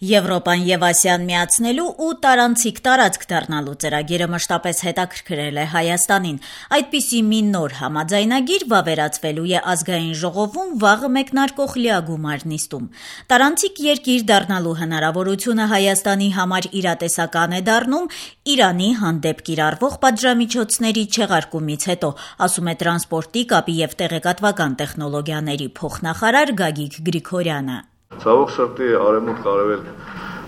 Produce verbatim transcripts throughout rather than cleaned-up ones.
Եվրոպան եւ Ասիան միացնելու ու տարանցիկ տարածք դառնալու ծրագիրը մշտապես հետաքրքրել է Հայաստանին։ Այդպիսի մի նոր համաձայնագիր վավերացվելու է ազգային ժողովում վաղը մեկնարկող լիագումար նիստում։ Տարանցիկ երկիր դառնալու հնարավորությունը Հայաստանի համար իրատեսական է դառնում Իրանի հանդեպ կիրառվող պատժամիջոցների չեղարկումից հետո, ասում է տրանսպորտի, կապի եւ տեղեկատվական տեխնոլոգիաների փոխնախարար Գագիկ Գրիգորյանը։ Ցավոք սրտի արևմուտք արևելք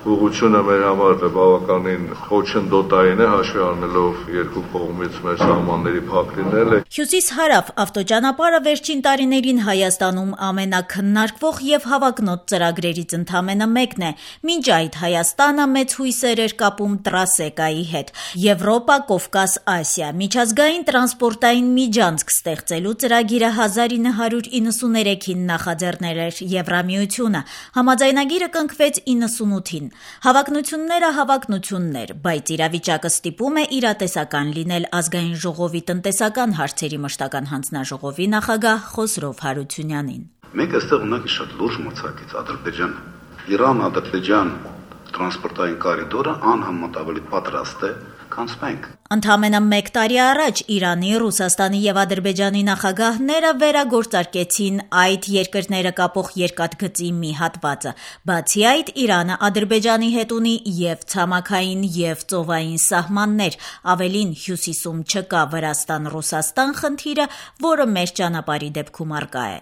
ուղղությունը մեր համար բավականին խոչընդոտային է, հաշվի առնելով երկու կողմից մեր սահմանների փակ լինելը։ Հյուսիս-հարավ ավտոճանապարհը վերջին տարիներին Հայաստանում ամենաքննարկվող եւ հավակնոտ ծրագրերից ընդամենը մեկն է։ Մինչ այդ Հայաստանը մեծ հույսեր էր կապում Տրասեկայի հետ։ Եվրոպա, Կովկաս, Ասիա միջազգային տրանսպորտային միջանցք ստեղծելու ծրագիրը հազար ինը հարյուր իննսուներեքին նախաձեռնել էր Եվրամիությունը։ Համաձայնագիրը կնքվեց իննսունութին։ Հավակնությունները հավակնություններ, բայց իրավիճակը ստիպում է իրատեսական լինել ազգային ժողովի տնտեսական հարցերի մշտական հանձնաժողովի նախագահ Խոսրով Հարությունյանին։ Մենք այստեղ ունենք շատ լուրջ մրցակից Ադրբեջանը։ Իրան-Ադրբեջան տրանսպորտային կորիդորը անհամեմատ ավելի պատրաստ է, քան մենք։ Ընդամենը մեկ տարի առաջ Իրանի, Ռուսաստանի եւ Ադրբեջանի նախագահները վերագործարկեցին այդ երկրները կապող երկաթգծի մի հատվածը։ Բացի այդ, Իրանը Ադրբեջանի հետ ունի եւ ցամաքային եւ ծովային սահմաններ, ավելին հյուսիսում չկա Վրաստան-Ռուսաստան խնդիրը, որը մեր ճանապարհի դեպքում առկա է։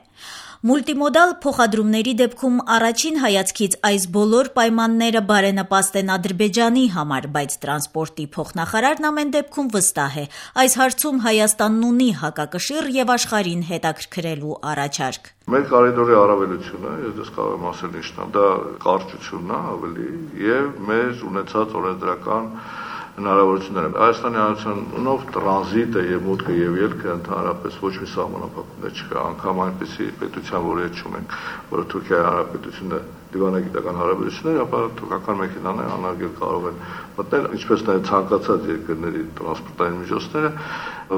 Մուլտիմոդալ փոխադրումների դեպքում առաջին հայացքից այս բոլոր պայմանները բարենպաստ են Ադրբեջանի համար, բայց տրանսպորտի փոխնախարարն ամեն դեպքում վստահ է։ Այս հարցում Հայաստանն ունի հակակշիռ եւ աշխարհին հետաքրքրելու առաջարկ։ Մեր կորիդորի առավելությունը, ես դες կարող եմ ասել ինչն է, դա կարճությունն է ավելի եւ մեր ունեցած օրենսդրական հնարավորությունները։ Հայաստանի Հանրությունով տրանզիտը եւ մուտքը եւ ելքը ընդհանրապես ոչ մի սահմանափակումներ չկա, անգամ այնպեսի պետության, որը հետ չունենք, որը Թուրքիայի Հանրապետությունը դիվանագիտական հարաբերություններ, ապա թուրքական մեքենաները անարգել կարող են մտնել, ինչպես նաեւ ցանկացած երկրների տրանսպորտային միջոցները,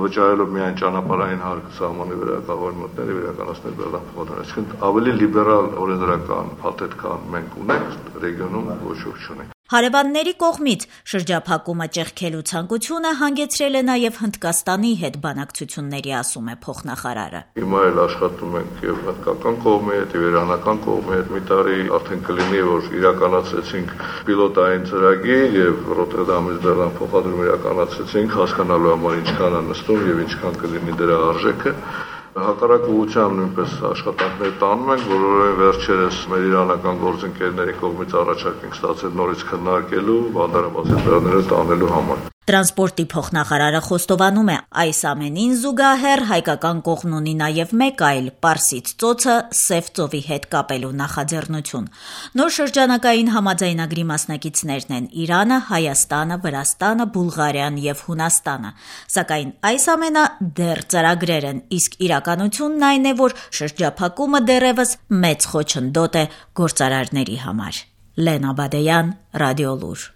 վճարելով միայն ճանապարհային հարկը սահմանի վրա կարող են մտնել եւ իրականացնել բեռնափոխադրում։ Այսինքն ավելի լիբերալ օրենսդրական փաթեթ կան մենք ունենք ռեգիոնում ոչ ոք չունի։ Հարևանների կողմից շրջափակումը ճեղքելու ցանկությունը հանգեցրել է նաև Հնդկաստանի հետ բանակցությունների, ասում է փոխնախարարը։ Հիմա էլ աշխատում ենք եւ հնդկական կողմի հետ, եւ իրանական կողմի հետ։ Մի տարի արդեն կլինի, որ իրականացրեցինք պիլոտային ծրագիր եւ Ռոթերդամից բեռնափոխադրում իրականացրեցինք, հասկանալու համար ինչքան է նստում եւ ինչքան կլինի դրա արժեքը։ Հակառակ ուղղությամբ նույնպես աշխատանքներ տանում ենք, որովհետև վերջերս մեր իրանական գործընկերների կողմից առաջարկ ենք ստացել նորից քննարկելու, բանդարաբացի ծրագրերը տանելու համար։ Տրանսպորտի փոխնախարարը խոստովանում է, այս ամենին զուգահեռ հայկական կողմն ունի նաև մեկ այլ Պարսից ծոցը Սև ծովի հետ կապելու նախաձեռնություն։ Նոր շրջանակային համաձայնագրի մասնակիցներն են Իրանը, Հայաստանը, Վրաստանը, Բուլղարիան եւ Հունաստանը։ Սակայն այս ամենը դեռ ծրագրեր են, իսկ իրականությունն այն է, որ շրջափակումը դեռևս մեծ խոչընդոտ է գործարարների համար։ Լենա Բադեյան, Ռադիոլուր։